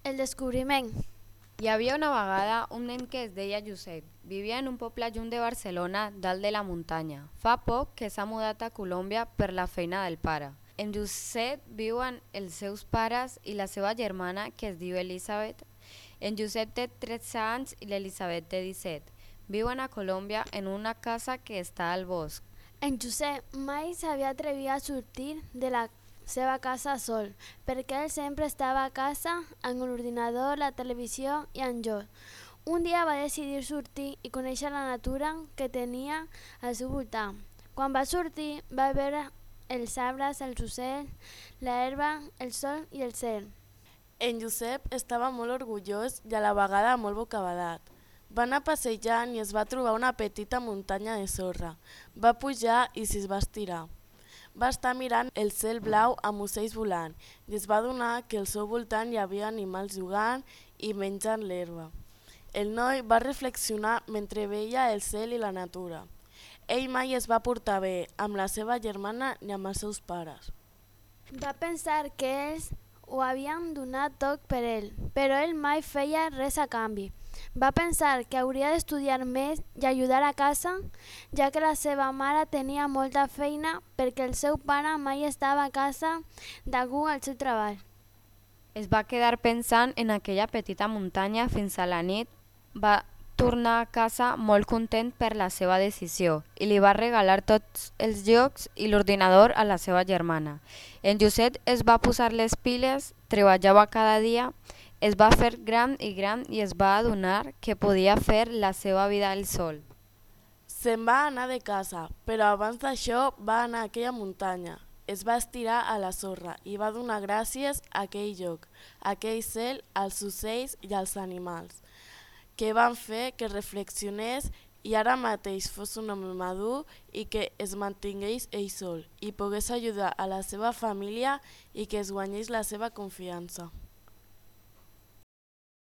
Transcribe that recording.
El descobriment. Hi havia una vegada un nen que es deia Josep. Vivia en un poble lluny de Barcelona, dalt de la muntanya. Fa poc que s'ha mudat a Colòmbia per la feina del pare. En Josep viuen els seus pares i la seva germana, que es diu Elisabet. En Josep té 13 anys i l'Elisabet té 17. Viuen a Colòmbia en una casa que està al bosc. En Josep mai s'havia atrevit a sortir de la seva casa sol, perquè ell sempre estava a casa amb l'ordinador, la televisió i en joc. Un dia va decidir sortir i conèixer la natura que tenia al seu voltant. Quan va sortir va veure els arbres, els ocells, l'herba, el sol i el cel. En Josep estava molt orgullós i a la vegada molt bocabadat. Va anar passejant i es va trobar una petita muntanya de sorra. Va pujar i s'hi va estirar. Va estar mirant el cel blau amb ocells volant i es va adonar que al seu voltant hi havia animals jugant i menjant l'herba. El noi va reflexionar mentre veia el cel i la natura. Ell mai es va portar bé amb la seva germana ni amb els seus pares. Va pensar que ells ho havien donat tot per ell, però ell mai feia res a canvi. Va pensar que hauria d'estudiar més i ajudar a casa, ja que la seva mare tenia molta feina perquè el seu pare mai estava a casa degut al seu treball. Es va quedar pensant en aquella petita muntanya fins a la nit. Va tornar a casa molt content per la seva decisió i li va regalar tots els jocs i l'ordinador a la seva germana. En Josep es va posar les piles, treballava cada dia, es va fer gran i es va adonar que podia fer la seva vida al sol. Se'n va anar de casa, però abans d'això va anar a aquella muntanya. Es va estirar a la sorra i va donar gràcies a aquell lloc, a aquell cel, als ocells i als animals, que van fer que reflexionés i ara mateix fos un home madur i que es mantingués ell sol i pogués ajudar a la seva família i que es guanyés la seva confiança.